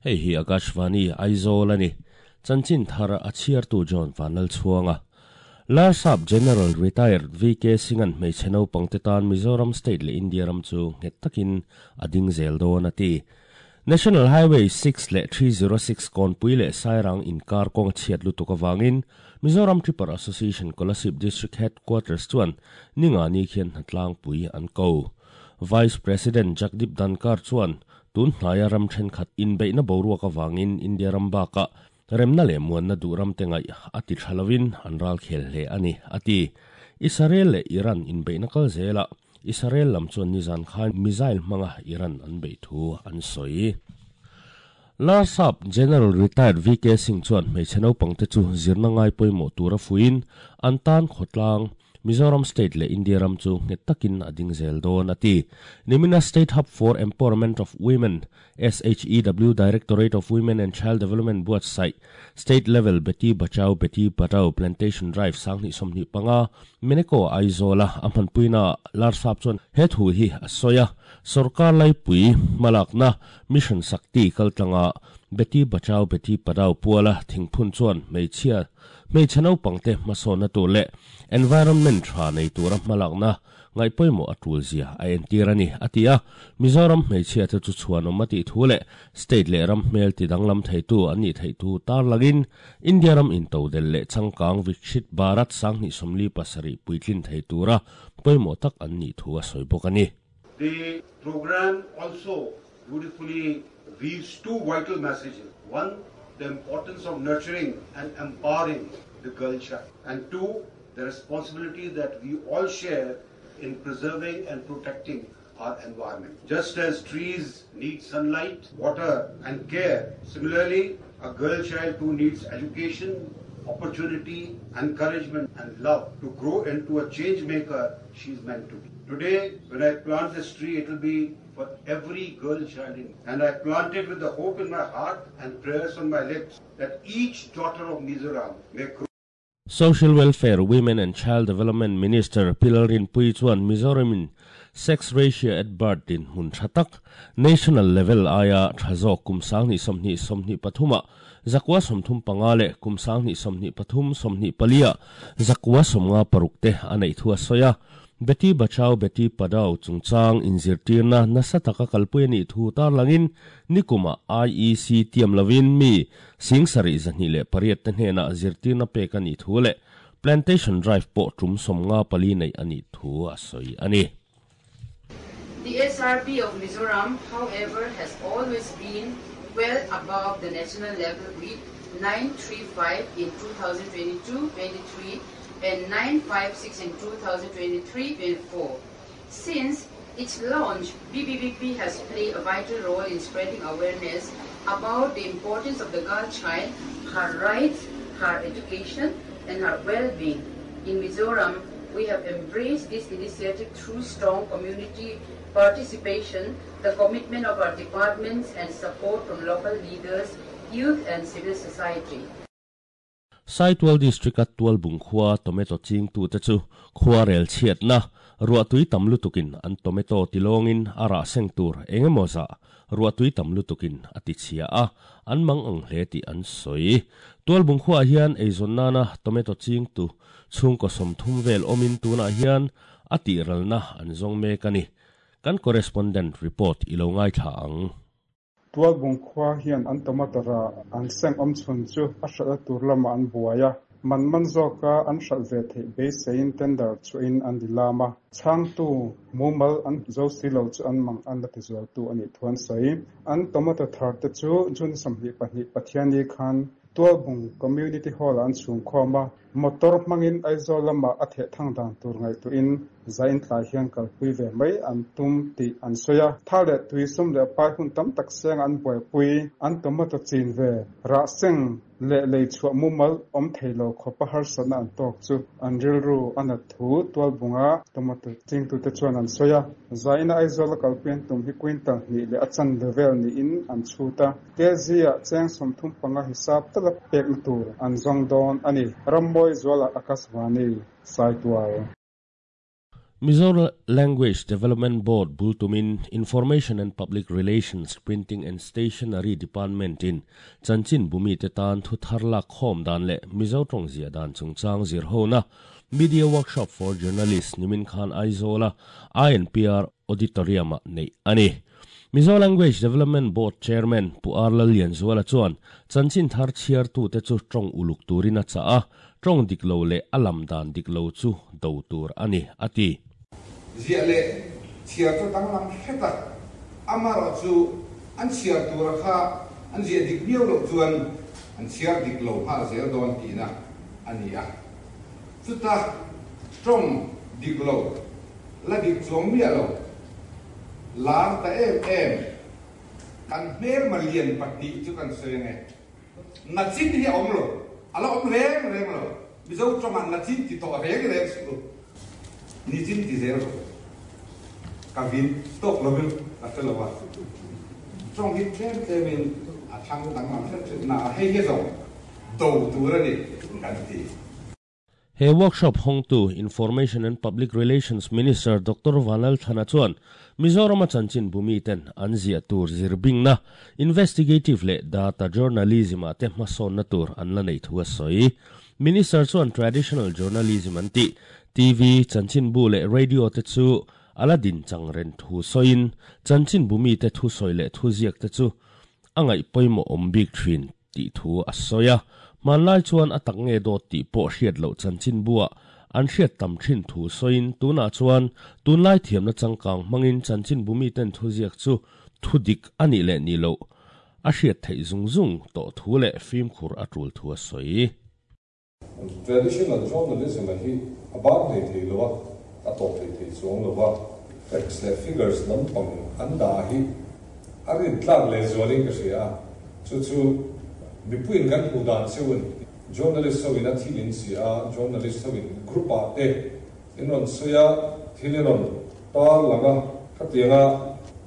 Hei hi Akashvani, Aizawl a ni. Chanchin thar a chhiartu John Vanlalchhuanga. Larsap General Retired VK Singh-a'n hmeichhe naupangte tan Mizoram State leh India ram chu nghet takin a ding zel dawn a ti. National Highway 6 leh 306 Kawnpui leh Sairang inkar kawng a chhiat lutuk avangin Mizoram Tripper Association Kolasib District Headquarters chuan Ningani khian hnatlangpui an ko. Vice President Jagdeep Dhankhar chuan Tun hnaia ram thenkhat inbeihna boruak avangin India ram bakah remna leh muanna duh ramte ngaih a ti tha lovin an ral khel hle a ni, a ti. Israel leh Iran inbeihna kal zelah Israel lam chuan nizan khan missile hmanga Iran an beih thu an sawi. Larsap General Retired VK Singh chuan hmeichhe naupangte chu zirna ngai pawimawh tura fuiin an tan khawtlang Mizoram State leh India ram chu nghet takin a ding zel dawn, a ti. Nimina State Hub for Empowerment of Women, SHEW, Directorate of Women and Child Development buatsaih State Level Beti Bachao Beti Padhao Plantation Drive 2025, Meneko Aizawla a hmanpuinaah Larsap chuan he thu hi a sawi a, Sorkar laipui hmalakna Mission Shakti kaltlanga Beti Bachao Beti Padhao puala thingphun chuan hmeichhia Hmeichhe naupangte hmasawnna tur leh environment tha nei tura hmalakna ngaihpawimawh a tul zia a entir a ni, a ti a. Mizoram hmeichhiate chu chhuanawm a tih thu leh state leh ram hmel tidanglam theitu an nih theih thu tarlangin India ram intodelh leh changkang Vikshit Bharat 2047 puitlin thei tura pawimawh tak an nih thu a sawi bawk a ni. The program also beautifully weaves two vital messages. One, the importance of nurturing and empowering the girl child. And two, the responsibility that we all share in preserving and protecting our environment. Just as trees need sunlight, water and care, similarly, a girl child too needs education, opportunity, encouragement and love to grow into a change maker she is meant to be. Today, when I plant this tree, it will be for every girl child in. And I plant it with the hope in my heart and prayers on my lips that each daughter of Mizoram may grow. Social Welfare, Women and Child Development Minister Pi Lalrinpuii chuan Mizoramin Sex Ratio at Birth dinhmun tha tak, National Level aia tha zawk kum 2020 23 ah 935 leh kum 2023 24 ah 956 te a neih thu a sawi a. Beti Bachao Beti Padhao chungchang inzirtirna nasa taka kalpui a nih thu tarlangin nikumah IEC tiam lovin mi 7208 te hnenah zirtirna pek a nih thu leh Plantation Drive pawh tum 54 neih a nih thu a sawi a ni. The SRB of Mizoram, however, has always been well above the national level with 935 in 2022-23 and 956 in 2023-24. Since its launch, BBBP has played a vital role in spreading awareness about the importance of the girl child, her rights, her education, and her well-being. In Mizoram, we have embraced this initiative through strong community participation, the commitment of our departments, and support from local leaders, youth, and civil society. Saitual District-a Tualbung khua tomato chingtute chu khuarel chhiatna ruahtui tam lutukin an tomato tilawngin a rah seng tur eng emaw zah ruahtui tam lutukin a ti chhia a, an mang ang hle tih an sawi. Tualbung khuaah hian eizawn nana tomato chingtu chhungkaw 30 vel awmin tunah hian a tihralna an zawng mek a ni. Kan correspondent report i lo ngaithla ang. Tualbung khua hian an tomato rah an seng awm chhun chu a hralh tur lamah an buai a, man man zawka an hralh ve theih beiseiin tender chhuahin an ni lam a, chhangtu mumal an zo si lo chu an mang an la tizualtu a nih thu an sawi. An tomato thar te chu June 22 Pathianni khan Tualbung Community Hall-ah an chhungkhawm a, Motor hmangin Aizawl lamah a theh thang dan tur ngaihtuahin zain tlai hian kalpui ve mai an tum tih an sawi a. Tha leh tui sum leh pai hun tam tak seng an buaipui, an tomato chin ve, rah seng leh lei chhuah mumal awm thei lo khawpa harsatna an tawk chu an rilru a nat thu Tualbunga tomato chingtute chuan an sawi a. Zaina Aizawl a kalpui an tum hi quintal hnih leh a chanve vel niin an chhut a. Kz-ah cheng 35 hisap tala pekna tur an zawng dawn a ni. Rammawi Zuala Akashvani, Saitual. Mizo Language Development Board bul tumin Information and Public Relations, Printing and Stationery Department in chanchin bumi te tan thu thar lak khawm dan leh Mizo tawng ziah dan chungchang zir hona Media Workshop for Journalists nimin khan Aizawl-a INPR Auditorium-ah neih a ni. Mizo Language Development Board Chairman Pu R Lallianzuala chuan chanchin thar chhiartute chu tawng uluk turin a chah a, tawng dik lo leh a lam dan dik lo chu do tur a ni, a ti. Ziah leh chhiar chu danglam hret a, amaherawhchu an chhiar tura kha an ziah dik miau loh chuan an chhiar dik lo nghal zel dawn tihna a ni a. Chuta tawng dik lo la dik chuang miah lo, lar ta em em, kan hmelma lian pahnih chu kan sawi ange. Nachin hi a awm lo, a la awm reng reng lo. Mizo tawngah nachin ti tawh reng reng suh u, nichin ti zel rawh u. Ka vin tawk lovin ka hre lo a, tawng hi tlem tlemin a thlang danglam hret hret na a, hei hi zawng do tur a ni kan ti. He workshop hawngtu Information and Public Relations Minister Doctor Vanlalthana chuan Mizorama chanchin bumi ten an ziah tur zirbingna, investigative leh data journalism ah te hmasawnna tur an la neih thu a sawi. Minister chuan traditional journalism an tih, TV, chanchinbu leh radio te chu a la din chang ren thu sawiin chanchinbu mite thusawi leh thuziak te chu a ngaih pawimawh awm bik thin. Tih thu a sawi a, hmanlai chuan a tak nge dawt tih pawh hriat loh chanchinbuah an hriat tam thin thu sawiin tunah chuan tunlai thiamna changkang hmangin chanchinbu miten thuziak chu thu dik a nih leh nih loh a hriat theih zung zung tawh thu leh fimkhur a tul thu a sawi. Traditional journalism a hi a ban hlei thei lo a, a tawp hlei thei chuang lo a. Facts leh figures lampang an dah hi a rintlak lehzualin ka hria a, chu chu mipuiin kan hmuh dan cheuin journalist ho in a thil in si a, journalist ho in group ah te in rawn sawi a, thil in rawn tar lang a, khatianga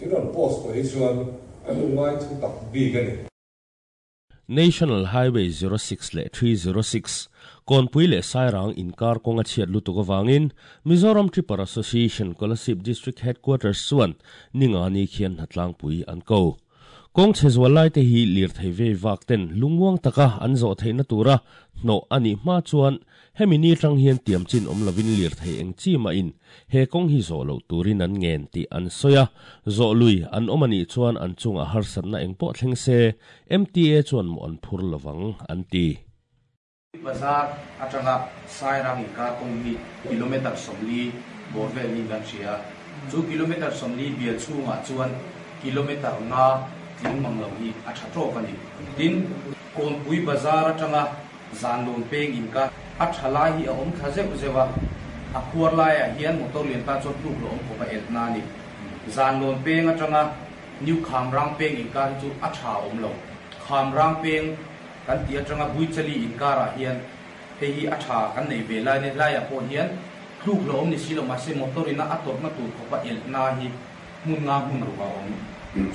in rawn post tawh hi chuan kan lo ngai thu tak bik a ni. National Highway 06 leh 306, Kawnpui leh Sairang inkar kawng a chhiat lutuk avangin Mizoram Tripper Association Kolasib District Headquarters chuan Ningani khian hnatlangpui an ko. Kawng chhe zual laite hi lirthei vei vak ten lungmuang taka an zawh theihna tura hnawh a nih hma chuan Hemi ni atang hian tiam chin awm lovin lirthei eng chi mahin he kawng hi zawh loh turin an ngen tih an sawi a, zawh lui an awm a nih chuan an chungah harsatna eng pawh thleng se MTA chuan mawh an phur lovang an ti. Bazar atanga Sairang inkar kawng hi kilometre 40 bawr vel niin kan hria. Chu kilometre 40 bial chhungah chuan kilometre nga tling mang lo hi a tha tawk a ni. Tin, Kawnpui bazar atanga Zanlun peng in ka a tha lai hi a awm thla zeuh zeuh a, a khuar laiah hian motor lian tan chuan tluk lo awm khawp a elh na a ni. Zanlawn peng atanga New Khamrang peng inkar hi chu a tha a awm lo. Khamrang peng kan tih atanga Buichali inkarah hian hei hi a tha kan nei ve lai nia, laiah pawh hian tluk lo awm ni si lo mahse motor ina a tawrhna tur khawpa elh na hi hmun nga hmun ruk a awm.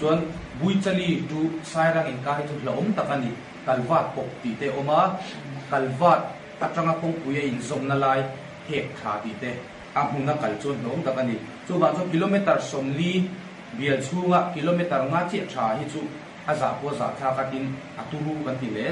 Chuan Buichali to Sairang inkar hi chu hlauhawm tak a ni. Kalvat pawp tih te awm a, Kalvat atanga kawngpui a inzawmna lai hek tha tih te a hmuna kal chuan hlawm tak a ni. Chuvang chuan kilometre 40 bial chhunga kilometre nga chiah tha hi chu a zah pawh a zah thlak a tin a turu kan ti hle.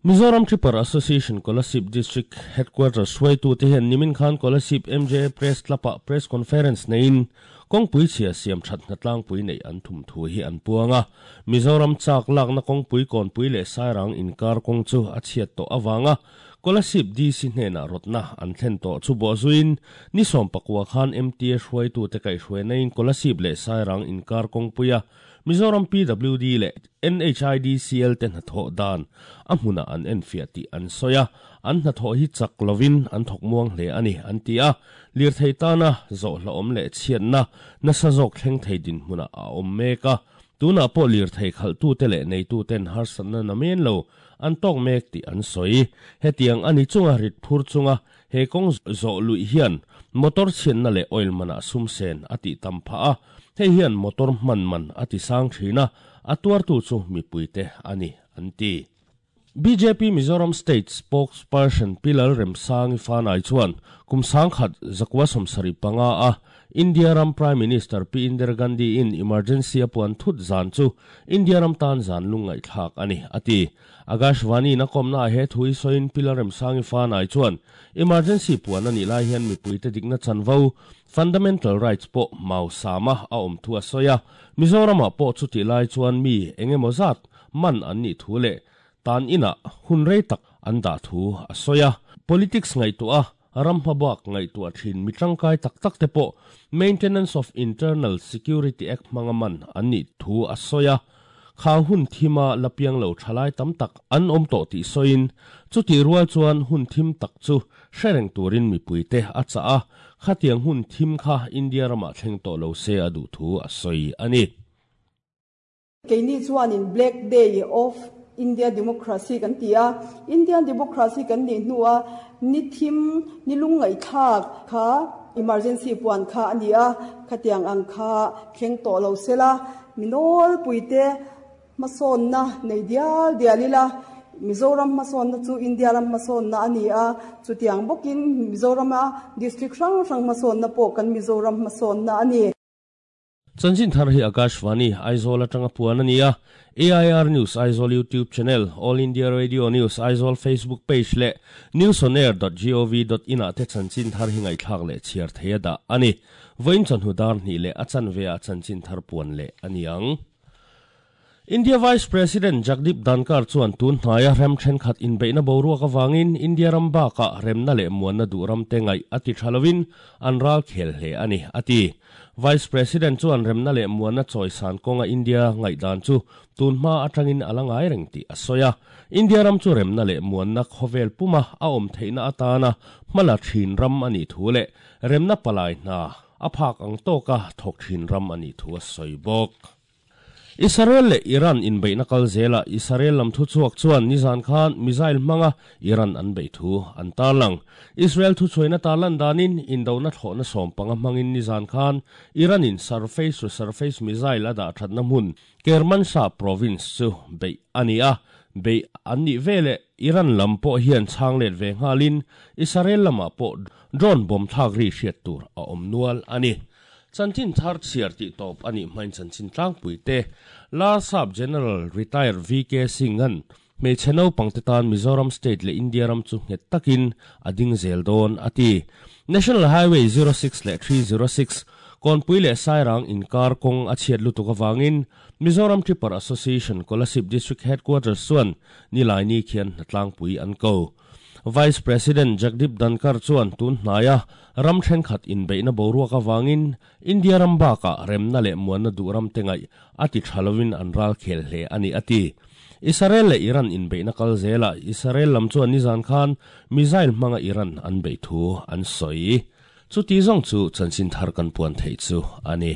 Mizoram Tripper Association Kolasib District Headquarters hruaitute hian nimin khan Kolasib MJA Press Club-ah Press Conference neiin Kawngpui chhia siam that hnatlangpui neih an thum thu hi an puang a. Mizoram chak lakna kawngpui Kawnpui leh Sairang inkar kawng chu a chhiat tawh avanga Kolasib DC hnenah rawtna an thlen tawh chu bawhzuiin ni 19 khan MTA hruaitute kaihhruainain Kolasib leh Sairang inkar kawngpuia Mizoram PWD leh NHIDCL te hnathawh dan a hmunah an enfiah tih an sawi a, an hnathawh hi chak lovin an thawk muang hle a ni, an ti a. Lirthei tana zawhhlawhawm leh chhiatna nasa zawk thleng thei dinhmunah a awm mek a, tunah pawh lirthei khalhtute leh neituten harsatna na men lo an tawk mek tih an sawi. Hetiang a ni chunga rit phur chunga he kawng zawh luih hian motor chhiatna leh oil manah sum sen a tih tam phah a, hei hian motor hman man a ti sang thin a, a tuartu chu mipuite a ni, an ti. Bjp Mizoram State Spokesperson Pi Lalremsangi Fanai chuan kum 1975 a India ram Prime Minister Pi Indira Gandhi in emergency a puan thut zan chu India ram tan zan lungngaihthlak a ni, a ti. Akashvani in a kawmna ah he thu hi sawiin Pi Lalremsangi Fanai chuan emergency puan a nih lai hian mipuite dikna chanvo, fundamental rights, pawh mau sama a awm thu a sawi a. Mizoramah pawh chutih lai chuan mi engemaw zat man an nih thu leh tan inah hun rei tak an dah thu a sawi a. Politics ngaihtuah a, ram hmabak ngaihtuah thin mi tangkai tak tak te pawh Maintenance of Internal Security Act hmanga man an nih thu a sawi a. Kha hun thima la piang lo thalai tam tak an awm tawh tih sawiin, chutih rual chuan hun thim tak chu hre reng turin mipuite a chah a, khatiang hun thim kha India ramah thleng tawh lo se a duh thu a sawi a ni. Keini chuanin Black Day of India Democracy kan ti a, Indian Democracy kan nih hnua ni thim, ni lungngaihthlak kha emergency puan kha a ni a, khatiang ang kha thleng tawh lo sela, mi nawlpuite hmasawnna nei dial dial ila, Mizoram hmasawnna chu India ram hmasawnna a ni a, chutiang bawkin Mizorama district hrang hrang hmasawnna pawh kan Mizoram hmasawnna a ni. Chanchin thar hi Akashvani, Aizawl atanga puan a ni a, AIR News Aizawl YouTube channel, All India Radio News Aizawl Facebook page leh newsonair dot gov dot in ah te chanchin thar hi ngaihthlak leh chhiar thei a dah a ni. Vawiin chawhnu dar hnih leh a chanve ah chanchin thar puan leh a ni ang. India Vice President Jagdeep Dhankhar chuan tun hnaia rem thenkhat inbeihna boruak avangin India ram bakah remna leh muanna duh ramte ngaih a ti tha lovin an ral khel hle a ni, a ti. Vice President chuan remna leh muanna chawisan kawnga India ngaihdan chu tun hma atangin a la ngai reng tih a sawi a. India ram chu remna leh muanna khawvel puma a awm theihna atana hmala thin ram a nih thu leh remna palai hna a phak ang tawka thawk thin ram a nih thu a sawi bawk. Israel leh Iran inbeihna kal zelah Israel lam thuchhuak chuan nizan khan missile hmanga Iran an beih thu an tarlang. Israel thuchhuaina tarlan danin indona thlawhna sawmpanga hmangin nizan khan Iran-in surface-to-surface missile a dah thatna hmun Kermanshah province chu beih a ni a, beih an nih veleh Iran lam pawh hian chhang let ve nghalin Israel lamah pawh drone bomb thlak ri hriat tur a awm nual a ni. Chanchin thar chhiar tih tawp a nih hmain chanchin tlangpui te Larsap General Retired VK Singh-a'n hmeichhe naupangte tan Mizoram State leh India ram chu nghet takin a ding zel dawn a ti. National Highway 06 leh 306, Kawnpui leh Sairang inkar kawng a chhiat lutuk avangin Mizoram Tripper Association Kolasib District Headquarters chuan Nilaini khian hnatlangpui an ko. Vice President Jagdeep Dhankhar chuan tun hnaia ram thenkhat inbeihna boruak avangin India ram bakah remna leh muanna duh ram te ngaih a ti tha lovin an ral khel hle a ni a ti. Israel leh Iran inbeihna kal zelah Israel lam chuan nizan khan missile hmanga Iran an beih thu an sawi. Chuti zawng chu chanchin thar kan puan theih chu a ni.